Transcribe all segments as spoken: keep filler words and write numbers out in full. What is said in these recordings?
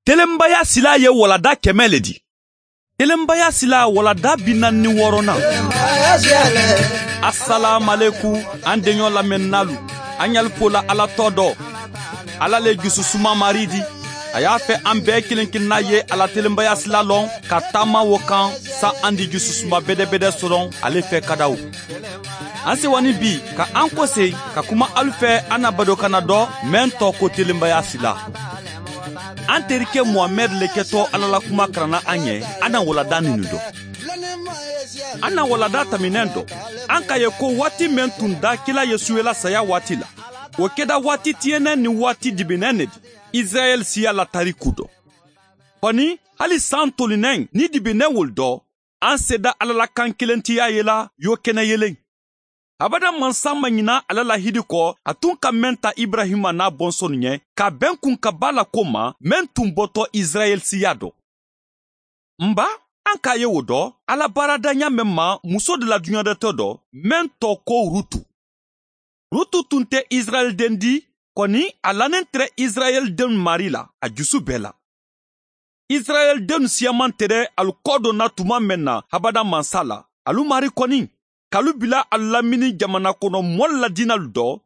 Telenbaya sila ye walada kɛmɛ le di. Telenbaya sila walada bi naani ni wɔɔrɔnan. Asalaamaleku an denɲɔ lamɛnnalu. An y'alu fola Ala tɔ dɔ. Ala le jususuma mari di. A y'a fɛ an bɛɛ kelen kelenna ye ala telenbaya sila lɔn ka taama wo kan sa an di jususuma bɛdɛbɛdɛ sɔrɔ ale fɛ kadaw. An sewani bi ka an kɔse ka kuma alu fɛ an na badokana dɔ mɛn tɔ ko telenbaya sila. An terikɛ Muhamɛd le kɛtɔ Ala la kuma karanna an ɲɛ an na walada ninu dɔ. An na walada taminɛn dɔ. An k'a ye ko waati mɛn tun da kila Yesu la saya waati la. O kɛda waati tiɲɛnɛ ni waati dibinɛ ne di. Israɛl siya la tariku dɔ. Kɔni hali san tolinɛn ni dibinɛ wol dɔ, an seda Ala la kan kelentiya ye la yo kɛnɛ yelen. Abada mansa ma ɲina ala la hidi kɔ, a tun ka mɛn ta Ibrahima n'a bɔnsɔn ɲɛ, ka bɛn kun ka ba la ko ma, mɛn tun bɔtɔ Israɛl siya dɔ. Nba, an k'a ye o dɔ, Ala baarada ɲa mɛn ma muso de la duɲadɛtɔ dɔ, mɛn tɔ ko Rutu. Rutu tun tɛ Israɛl den di, kɔni a lanen tɛrɛ Israɛl den mari la, a jusu bɛɛ la. Israɛl den siyaman tɛrɛ alu kɔ donna tuma mɛn na habada mansa la, alu mari kɔni. Kalu bila alu lamini jamana kɔnɔ mɔli la dinalu dɔ,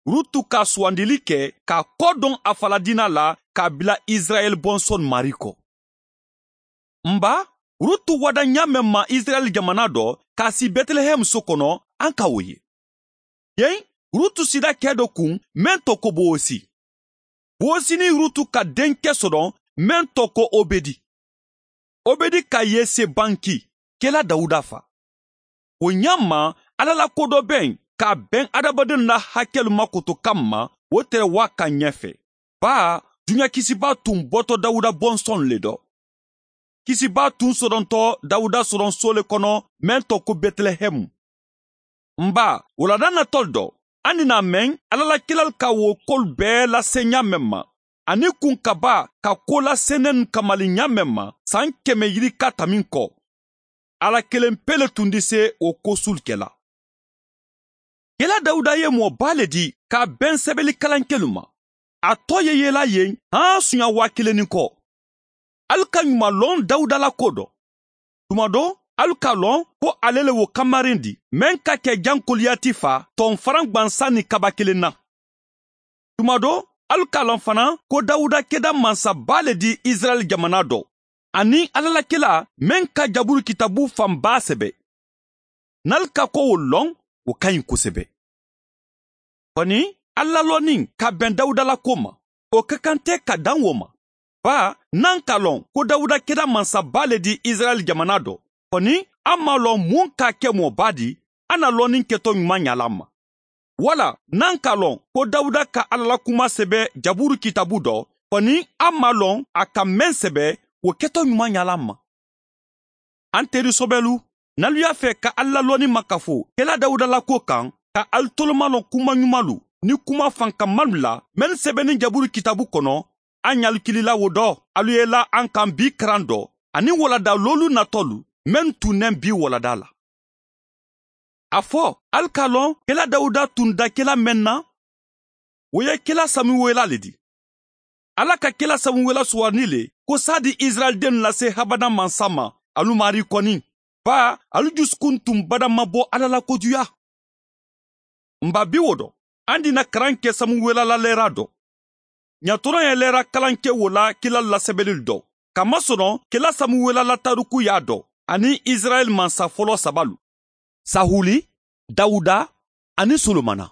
Rutu ka suwandili kɛ k'a kɔ dɔn a fala dina la k'a bila Israɛl bɔnsɔn mari kɔ. Nba, Rutu wada ɲa mɛn ma Israɛl jamana dɔ k'a si Bɛtɛlɛhɛm so kɔnɔ, an ka o ye. Yen, Rutu sida kɛ dɔ kun mɛn tɔ ko Bowosi. Bowosi ni Rutu ka denkɛ sɔrɔ mɛn tɔ ko Obedi. Obedi ka Yese banki, kɛla Dawuda fa. O ɲa ma Ala la ko dɔ bɛn k'a bɛn adamadenw la hakɛlu makoto kama o tɛrɛ wa ka ɲɛfɛ. Ba duɲa kisiba tun bɔtɔ Dawuda bɔnsɔn le dɔ. Kisiba tun sɔrɔntɔ Dawuda sɔrɔn so le kɔnɔ mɛn tɔ ko Bɛtɛlɛhɛmu. Nba wulada natɔ dɔ, an nina mɛn Ala la kilal ka wo kol bɛɛ lase ɲa mɛn ma. Ani kun kaba ka ko lasenɛn kamali ɲa mɛn ma san kɛmɛ yirika tamin kɔ. Ala kelen pele tun di se o ko sulukɛla. Kɛla Dawuda ye mɔba le di k'a bɛn sɛbɛnni kalankɛlu ma. A tɔ ye yela yen han sunya waa kelen ni kɔ. Alu ka ɲuman lɔn Dawuda la ko dɔ. Tuma dɔ, alu ka lɔn ko ale le wo kamaren di mɛn ka kɛ jan Koliyati fa tɔnfaran gwansan ni kaba kelen na. Tuma dɔ, alu ka lɔn fana ko Dawuda kɛda mansaba le di Israɛl jamana dɔ. Ani alalakɛla mɛn ka jaburu kitabu fanba sɛbɛ. N'alu ka ko o lɔn, o ka ɲi kosɛbɛ. Kɔni, Ala lɔnni ka bɛn Dawuda la ko ma, o ka kan tɛ ka dan o ma. Ba, n'an ka lɔn ko Dawuda kɛra mansaba le di Israɛl jamana dɔ, kɔni an m'a lɔn mun k'a kɛ mɔba di, an na lɔnni kɛtɔ ɲuman ɲala ma. Wala, n'an ka lɔn ko Dawuda ka Ala la kuma sɛbɛ jaburu kitabu dɔ, kɔni an m'a lɔn a ka mɛn sɛbɛ o kɛtɔ ɲuman ɲala ma. An teri sɔbɛlu, n'alu y'a fɛ ka Ala lɔnni makafo kɛla Dawuda la ko kan, ka alu toloma lɔn kuma ɲumanlu ni kuma fankamalu la mɛn sɛbɛnni jaburu kitabu kɔnɔ, an y'alu kilila wo dɔ, alu ye la an kan bi karan dɔ, ani walada lolu natɔlu mɛn tunnɛn bi walada la. A fɔ, alu k'a lɔn kɛla Dawuda tun da kɛla mɛn na, o ye kɛla Samuwela le di. Ala ka kɛla Samuwela sugandi le ko sa di Israɛl den lase habada mansa ma, alu mari kɔni. Ba, alu dusukun tun bada ma bɔ Ala la kojuya. Nba bi wo dɔ, an dina karan kɛ Samuwela la lɛra dɔ. Ɲatɔrɔ ye lɛra kalan kɛ wo la kila lasɛbɛli dɔ. Kamasɔrɔ kɛla Samuwela la tariku y'a dɔ, ani Israɛl mansa fɔlɔ sabalu. Sahuli, Dawuda, ani Solomana.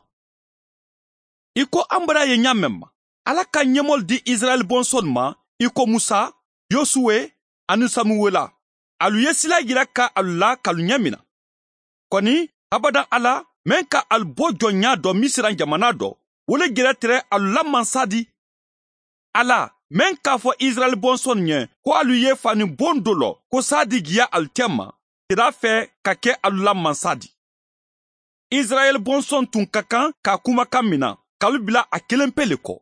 I ko an bara ye ɲa mɛn ma, Ala ka ɲɛmɔli di Israɛl bɔnsɔn ma, i ko Musa, Yosuwe, ani Samuwela. Alu ye sila yira ka alu la k'alu ɲɛ mina. Kɔni, abada Ala, mɛn ka alu bɔ jɔnya dɔ Misira jamana dɔ, o le gɛrɛ tɛrɛ alu la mansa di. Ala, mɛn k'a fɔ Israɛl bɔnsɔn ɲɛ ko alu ye fani bon dɔ lɔ, ko sa di giya alu tɛ ma, tɛrɛ fɛ ka kɛ alu la mansa di. Israɛl bɔnsɔn tun ka kan k'a kumakan mina, k'alu bila a kelen pe le kɔ.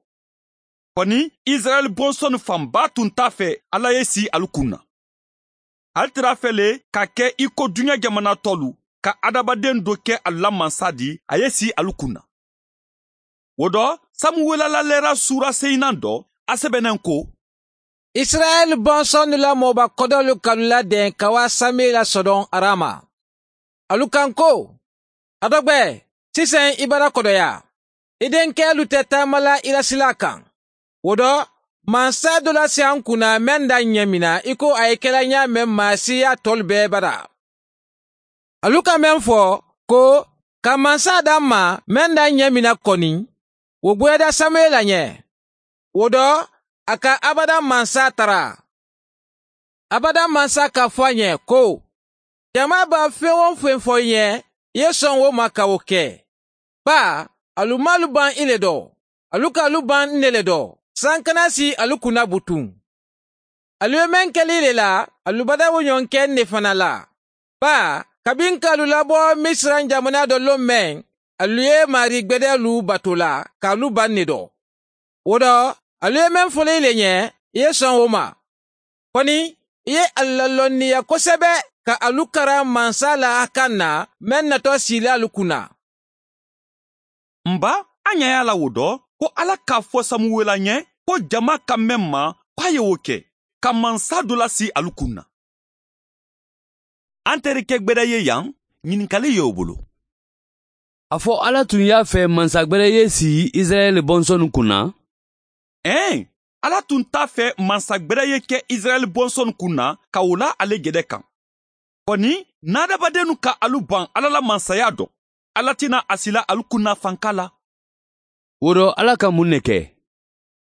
Kɔni, Israɛl bɔnsɔn fanba tun t'a fɛ Ala ye si alu kun na. Ale tɛrɛ fɛ le ka kɛ i ko duɲa jamana tɔlu, ka adamaden dɔ kɛ alu la mansa di, a ye si alu kun na. O dɔ, Samuwela la lɛra sura seyinan dɔ, a sɛbɛnnen ko, Israɛl bɔnsɔnnu la mɔba kɔdɔlu k'alu ladɛn ka wa Samuela sɔdɔn Arama. Alu kan ko, a dɔgbɛ, sisan i bara kɔdɔya. I denkɛlu tɛ taama la i la sila kan. O dɔ, mansa dɔ la se an kunna mɛn da ɲɛ min na i ko a ye kɛla ɲa mɛn maa siya tɔlu bɛɛ bara. Alu ka mɛn fɔ ko ka mansa d'an ma mɛn da ɲɛ min na kɔni, o gwɛda Samuela ɲɛ. O dɔ, a ka abada mansa tara. Abada mansa k'a fɔ a ɲɛ ko, jama b'a fɛn o fɛn fɔ i ɲɛ, i ye sɔn o ma ka o kɛ. Ba, alu m'alu ban i le dɔ, alu k'alu ban ne le dɔ. San kana si alu kunna butun. Alu ye mɛn kɛli le la, alu bada o ɲɔgɔn kɛ ne fana la. Ba, kabi n k'alu labɔ Misiran jamana dɔ lon mɛn, alu ye mari gbɛdɛlu bato la k'alu ban ne dɔ. O dɔ, alu ye mɛn fɔli le ɲɛ, i ye sɔn o ma. Kɔni, i ye alu lalɔnniya kosɛbɛ ka alu karan mansa la kan na mɛn natɔ sila alu kunna. Nba, an ɲɛ y'a la o dɔ ko Ala k'a fɔ Samuwela ɲɛ ko jama ka mɛn ma k'a ye o kɛ ka mansa dɔ lasi alu kun na. An terikɛ gbɛdɛ ye yan, ɲininkali y'o bolo. A fɔ Ala tun y'a fɛ mansa gbɛdɛ ye sigi Israɛl bɔnsɔnnu kunna? Ɛn, Ala tun t'a fɛ mansa gbɛdɛ ye kɛ Israɛl bɔnsɔnnu kun na ka o la ale gɛdɛ kan. Kɔni, n'adamadennu ka alu ban Ala la mansaya dɔn, Ala tɛna a sila alu kunna fanka la. O dɔ, Ala ka mun ne kɛ?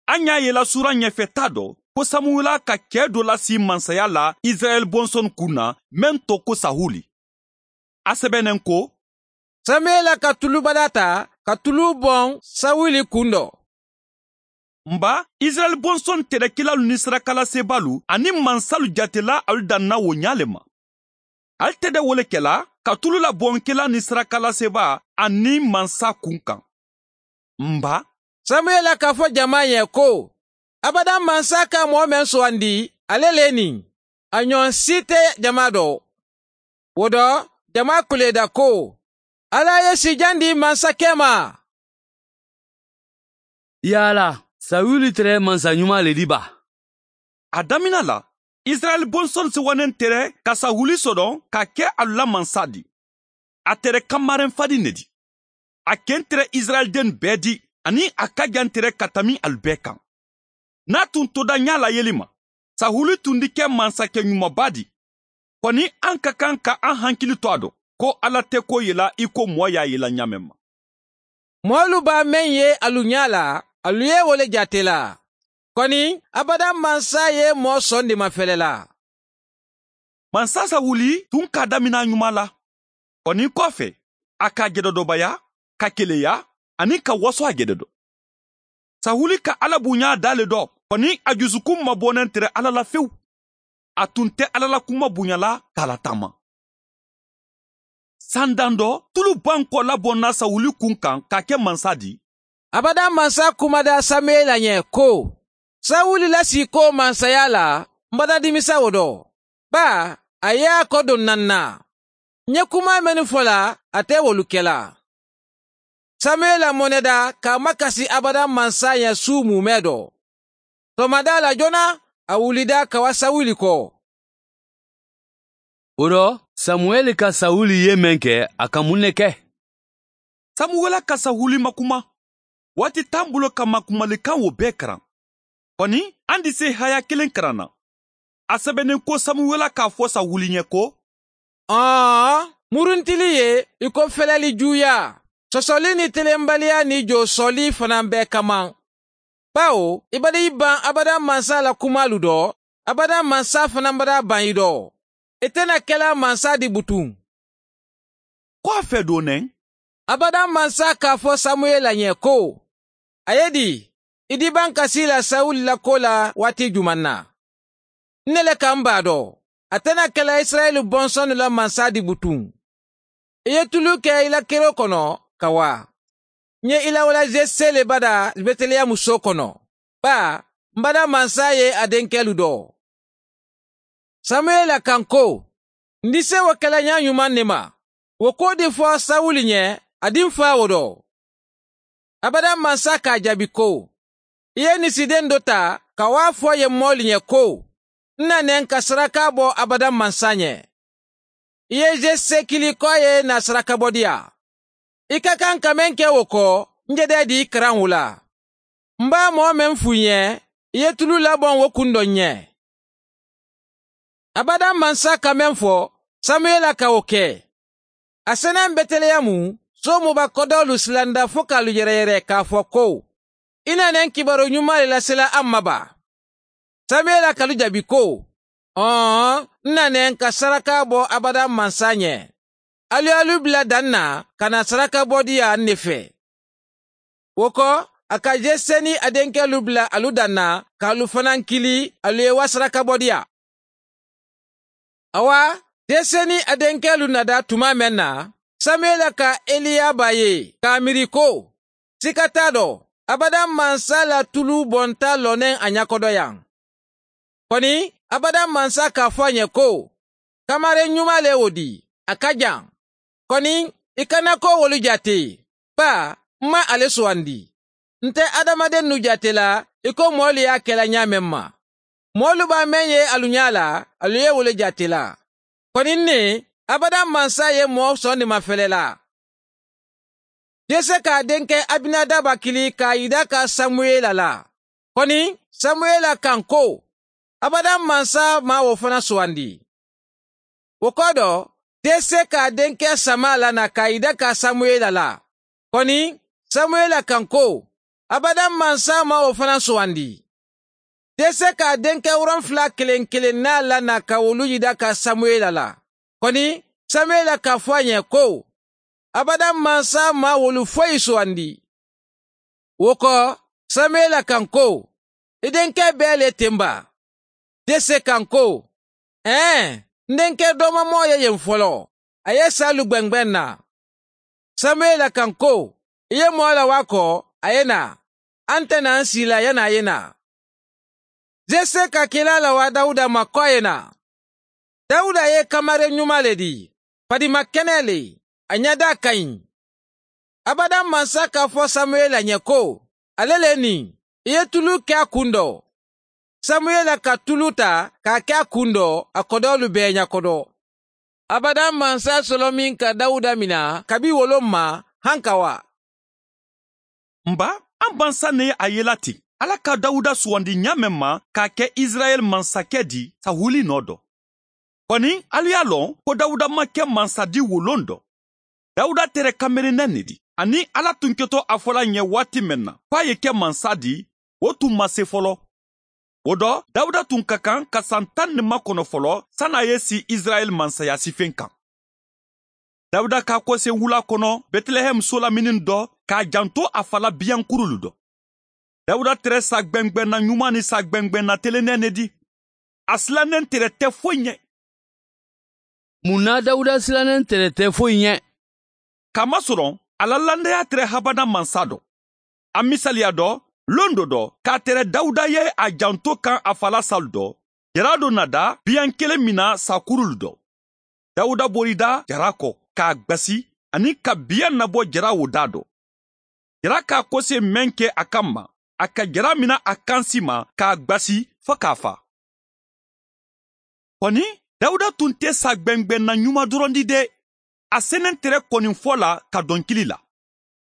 An y'a yela sura ɲɛfɛ ta dɔ ko Samuwela ka cɛɛ dɔ lasi mansaya la Israɛl bɔnsɔn kun na mɛn tɔ ko Sahuli. A sɛbɛnnen ko, Samuela ka tulubada ta ka tulu bɔn Sawuli kun dɔ. Nba, Israɛl bɔnsɔn tɛrɛkɛlalu ni sarakalasebalu ani mansalu jatela alu danna o ɲa le ma. Ale tɛ dɛ wele kɛla ka tulu labɔnkɛla ni sarakalaseba ani mansa kun kan. Nba, Samuela k'a fɔ jama ɲɛ ko, abada mansa ka mɔgɔ mɛn sugandi, ale le nin. A ɲɔgɔn si tɛ jama dɔ. O dɔ, jama kuleda ko, Ala ye sijan di mansakɛ ma. Yala, Sawuli tɛrɛ mansa ɲuman le di ba. A damina la, Israɛl bɔnsɔn sewanen tɛrɛ ka Sawuli sɔdɔn ka kɛ alu la mansa di. A tɛrɛ kamaren fadi ne di. A ken tɛrɛ Israɛl den bɛɛ di, ani a ka jan tɛrɛ ka tami alu bɛɛ kan. N'a tun toda ɲa la yeli ma, Sahuli tun di kɛ mansakɛ ɲumanba di. Kɔni an ka kan ka an hankili to a dɔn ko Ala tɛ ko yela i ko mɔɔ y'a yela ɲa mɛn ma. Mɔɔlu b'a mɛn ye alu ɲa la, alu ye wo le jate la. Kɔni, abada mansa ye mɔɔ sɔn de mafɛlɛ la. Mansa Sawuli tun k'a damina ɲuman la. Kɔni kɔfɛ, a ka gɛdɛdɔbaya, ka keleya, ani ka waso a gɛdɛ dɔ. Sahuli ka Ala bonya d'ale dɔ, kɔni a dusukun mabɔnen tɛrɛ Ala la fewu. A tun tɛ Ala la kuma bonya la k'a lataama. Sandan dɔ, tulu ban kɔ labɔnna Sawuli kun kan k'a kɛ mansa di. Abada mansa kumada Samuela ɲɛ ko, Sawuli lasi ko mansaya la, n bada dimisa o dɔ. Ba, a y'a kɔ don nan na. N ye kuma mɛnnu fɔ la, a tɛ wolu kɛla. Samuela mɔnɛda k'a makasi abada mansa ɲɛ su mumɛ dɔ. Sɔgɔmada la joona, a wulida ka wa Sawuli kɔ. O dɔ, Samuɛli ka Sawuli ye mɛn kɛ, a ka mun ne kɛ? Samuwela ka Sawuli makuma. Waati t'an bolo ka makumalikan o bɛɛ karan. Kɔni, an di se haya kelen karan na. A sɛbɛnnen ko Samuwela k'a fɔ Sawuli ɲɛ ko, Ɔɔ, muruntili ye i ko fɛlɛli juya. Sɔsɔli ni telenbaliya ni josɔli fana bɛɛ kama. Bawo, i bada i ban abada mansa la kumalu dɔ, abada mansa fana bada ban i dɔ. I tɛna kɛla mansa di butun. Kɔfɛ don nɛ, Abada mansa k'a fɔ Samuela ɲɛ ko, a ye di, i di ban kasi la Sawuli la ko la waati juman na. Ne le ka n b'a dɔn, a tɛna kɛla Israɛl bɔnsɔn la mansa di butun. I ye tulu kɛ i la kero kɔnɔ ka wa. N ye i lawala Jese le bada Beteleyamu so kɔnɔ. Ba, n bada mansa ye a denkɛlu dɔ. Samuela kan ko, n di se o kɛla ɲa ɲuman ne ma. O ko di fɔ Sawuli ɲɛ, a di n fa o dɔ. Abada mansa k'a jaabi ko, i ye nisiden dɔ ta Ka wa fɔ ye mɔɔlu ɲɛ ko, n nanen ka saraka bɔ abada mansa ɲɛ. I ye Jese kili k'a ye na saraka bɔ diya. I ka kan ka mɛn kɛ o kɔ, n jɛdɛ di karan o la. N b'a mɔɔ mɛn f'u ɲɛ, i ye tulu labɔn o kun dɔ ɲɛ. Abada mansa ka mɛn fɔ, Samuyela ka o kɛ. A sɛnɛ Bɛtɛlɛyamu, so muba kɔdɔlu silanda fo k'alu yɛrɛyɛrɛ k'a fɔ ko, i nanen kibaru ɲuman le lasela an ma ba. Samuyela kalu jaabi ko, ɔn, n nanen ka saraka bɔ abada mansa ɲɛ. Alu alu bila dan na ka na saraka bɔ diya ne fɛ. O kɔ, a ka Jese ni a denkɛlu bila alu dan na k'alu fana kili alu ye wa saraka bɔ diya. Awa, Jese ni a denkɛlu nada tuma mɛn na, Samuyela ka Eliyaba ye k'a miiri ko, sika t'a dɔ, abada mansa la tulu bɔnta lɔnen a ɲakɔdɔ yan. Kɔni, abada mansa k'a fɔ a ɲɛ ko, kamaren ɲuman le o di, a ka jan. Kɔni, i kana ko wolu jate, ba, n ma ale sugandi. N tɛ adamaden nu jate la, i ko mɔɔlu y'a kɛla ɲa mɛn ma. Mɔɔlu b'a mɛn ye alu ɲa la, alu ye wole jate la. Kɔni ne, abada mansa ye mɔɔ sɔn de ma fɛlɛ la. Jese k'a denkɛ Abinadaba kili k'a yida ka Samuyela la. Kɔni, Samuyela kan ko, abada mansa ma o fana sugandi. O kɔ dɔ, Jese k'a denkɛ Sama lana k'a yida ka Samuyela la. Kɔni, Samuyela kan ko, abada mansa ma o fana sugandi. Jese k'a denkɛ wolonfila kelen kelen n'a lana ka olu yida ka Samuyela la. Kɔni, Samuyela k'a fɔ a ɲɛ ko, abada mansa ma wolu foyi sugandi. O kɔ, Samuyela kan ko, i denkɛ bɛɛ le tenba. Jese kan ko, ɛn, n denkɛ dɔmamɔ ye yen fɔlɔ, a ye salu gbɛngbɛn na. Samuyela kan ko, i ye mɔɔ la wa kɔ, a ye na, an tɛna an si la yanni a ye na. Jese ka kila la wa Dawuda ma kɔ ye na. Dawuda ye kamaren ɲuman le di, fadima kɛnɛ le, a ɲɛda ka ɲi. Abada mansa k'a fɔ Samuyela ɲɛ ko, ale le nin, i ye tulu kɛ a kun dɔ. Samuyela ka tulu ta k'a kɛ a kun dɔ, a kɔdɔlu bɛɛ ɲakɔdɔ. Abada mansa sɔlɔ min ka Dawuda mina kabi wolo ma han ka wa. Nba, an bansa ne ye a yela ten. Ala ka Dawuda sugandi ɲa mɛn ma k'a kɛ Israɛl mansakɛ di Sahuli nɔ dɔ. Kɔni, alu y'a lɔn ko Dawuda ma kɛ mansadi wolon dɔ. Dawuda tɛrɛ kamerennɛ ne di. Ani Ala tun kɛtɔ a fɔla ɲɛ waati mɛn na k'a ye kɛ mansa di, o tun ma se fɔlɔ. O dɔ, Dawuda tun ka kan ka san tan ni makɔnɔ fɔlɔ san'a ye si Israɛl mansaya sifen kan. Dawuda k'a kɔse wula kɔnɔ Bɛtilɛhɛm so lamini dɔ k'a janto a fala biyankurulu dɔ. Dawuda tɛrɛ sa gbɛngbɛnna ɲuman ni sa gbɛngbɛnna telennɛ ne di. A silannen tɛrɛ tɛ foyi ɲɛ. Mun na Dawuda silannen tɛrɛ tɛ foyi ɲɛ? Kamasɔrɔ, a la landaya tɛrɛ habada mansa dɔ. A misaliya dɔ, lon dɔ dɔ, k'a tɛrɛ Dawuda ye a janto kan a fala salu dɔ, jara dɔ nada biyan kelen mina sakurulu dɔ. Dawuda borida jara kɔ k'a gbasi ani ka biyan nabɔ jara o da dɔ. Jara k'a kɔse mɛn kɛ a kan ma, a ka jara mina a kansi ma k'a gbasi fo k'a fa. Kɔni, Dawuda tun tɛ sa gbɛngbɛnna ɲuman dɔrɔn di dɛ. A sɛnɛ tɛrɛ kɔni fɔ la ka dɔnkili la.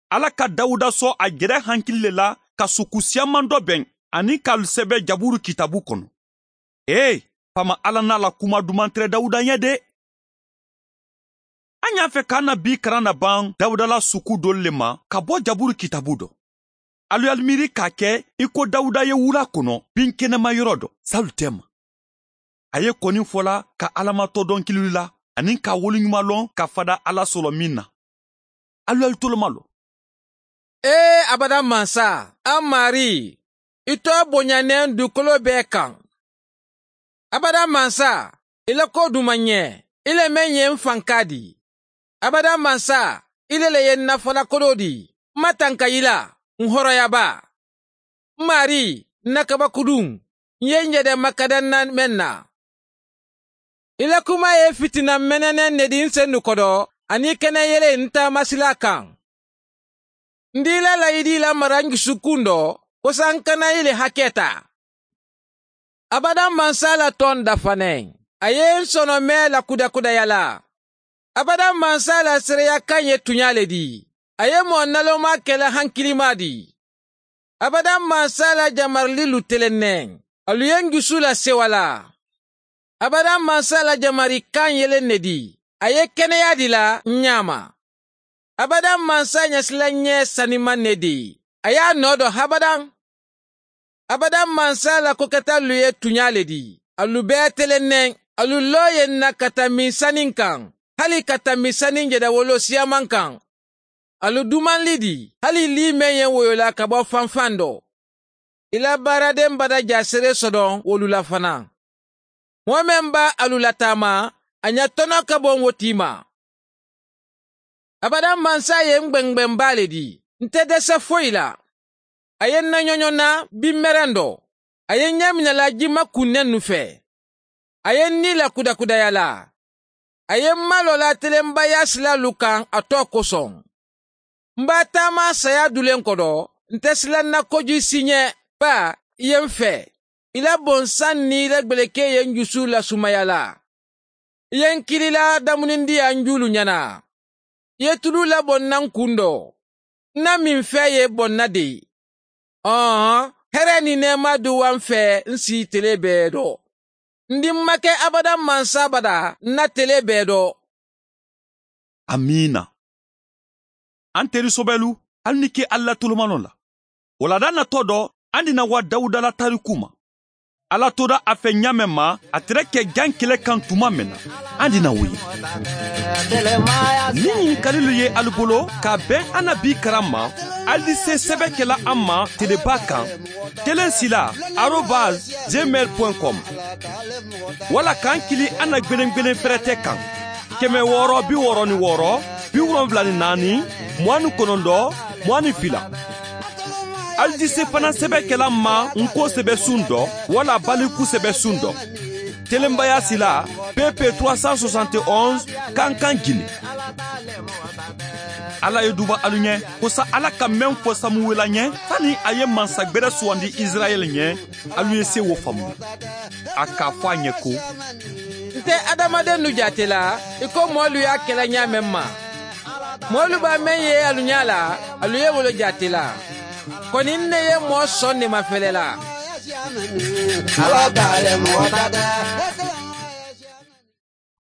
Ala ka Dawuda sɔn a jɛrɛ hankili le la ka suku siyaman dɔ bɛn ani ka sɛbɛ Jaburu kitabu kɔnɔ. Ee, fama Ala n'a la kuma duman tɛrɛ Dawuda ɲɛ dɛ. An y'a fɛ k'an na bi karan na ban Dawuda la suku dɔ le ma ka bɔ Jaburu kitabu dɔ. Alu y'alu miiri k'a kɛ i ko Dawuda ye wula kɔnɔ bin kɛnɛma yɔrɔ dɔ, salu tɛ ma. A ye kɔni fɔla ka Alamatɔ dɔnkili la ani ka woloɲuman lɔn ka fada Ala sɔrɔ min na. Alu y'alu toloma lɔ. Ee abada mansa, an mari, i tɔ bonyanen dugukolo bɛɛ kan. Abada mansa, i la ko duman ɲɛ, i le mɛn ye n fanka di. Abada mansa, i le le ye n nafalakolo di, n ma tanka i la, n hɔrɔnyaba. N mari, n na kabakudun, n ye n yɛrɛ makadan na mɛn na. I la kuma ye fitina mɛnɛnɛ ne di n sen kɔrɔ ani kɛnɛ yɛlɛ n taamasila kan. N dila layidi la mara n dusukun dɔ, kosa n kana i le hakɛ ta. Abadan mansa la tɔn dafanɛ. A ye n sɔnɔmɛ la kudakudaya la. Abadan mansa la seereya kan ye tuɲa le di. A ye mɔɔ naloma kɛla hankilima di. Abadan mansa la jamarili lu telennɛ. Alu ye n jusu la sewa la. Abadan mansa la jamari kan yelen ne di. A ye kɛnɛya di la n ɲama. Abadan mansa ɲɛsila ɲɛ saniman ne di. A y'a nɔ dɔ habadan. Abadan mansa la kokɛta lu ye tuɲa le di. Alu bɛɛ telennɛ. Alu lɔ ye na ka tami sanin kan. Hali ka tami sanin jɛdawolo siyaman kan. Alu duman li di. Hali li mɛn ye woyola ka bɔ fanfan dɔ. I la baaraden bada jasere sɔdɔn wolu la fana. Mɔgɔ mɛn b'a alu lataama, a ɲa tɔnɔ ka bɔ wo ma. Abadan mansa ye n gbɛngbɛnba le di. N tɛ dɛsɛ foyi la. A ye n naɲɔɲɔ na binmɛrɛn dɔ. A ye n ɲɛ minɛla jima kunnen nu fɛ. A ye n ni la kudakudaya la. A ye n malɔ la telenbaya sila lu kan a tɔ kosɔn. N b'a taama saya dulen kɔdɔ, n tɛ silan na koju si ɲɛ, ba i ye n fɛ. I la bonsan ni i la gbeleke ye n jusu lasumaya la. I ye n kirila damunindi an julu ɲɛna. I ye tulu labɔ n na n kun dɔ. N na min fɛ ye bɔnna de ye. Ɔhɔn, hɛrɛ ni nɛɛma du wa n fɛ n si tele bɛɛ dɔ. N di ma kɛ abadan mansa bada n na tele bɛɛ dɔ. Amiina. An teri sobɛlu, hali ni ke Ala tolomanɔ la. Walada natɔ dɔ, an dina wa Dawuda la tariku ma. Ala tora a fɛ ɲa mɛn ma, a tɛrɛ kɛ jan kɛlɛ kan tuma mɛn na, an dina wo ye. Ni ɲininkalilu ye alu bolo ka bɛn an na bi karan ma, ali di se sɛbɛ kɛla an ma teleba kan, telensila arobase gmail point com wala k'an kili an na gwelen-gwelen fɛrɛtɛ kan. Kɛmɛ wɔɔrɔ bi wɔɔrɔ ni wɔɔrɔ, bi wolonfila ni naani, mugan ni kɔnɔntɔn, mugan ni fila. Ali di se fana sɛbɛ kɛla ma nko sɛbɛ sun dɔ wala baliku sɛbɛ sun dɔ. Telenbaya sila P P trois cent soixante et onze Kankan Guinée. Ala ye duba alu ɲɛ ko sa Ala ka mɛn fɔ Samuwela ɲɛ sani a ye mansa gbɛrɛ sugandi Israɛl ɲɛ, alu ye se wo faamu. A k'a fɔ a ɲɛ ko n tɛ adamaden nu jate la i ko mɔɔlu y'a kɛla ɲa mɛn ma. Mɔɔlu b'a mɛn ye alu ɲa la, alu ye wolo jate la. Kɔni ne ye mɔɔ sɔn ne ma fɛlɛ la. Ala t'ale mɔgɔ ta tɛ.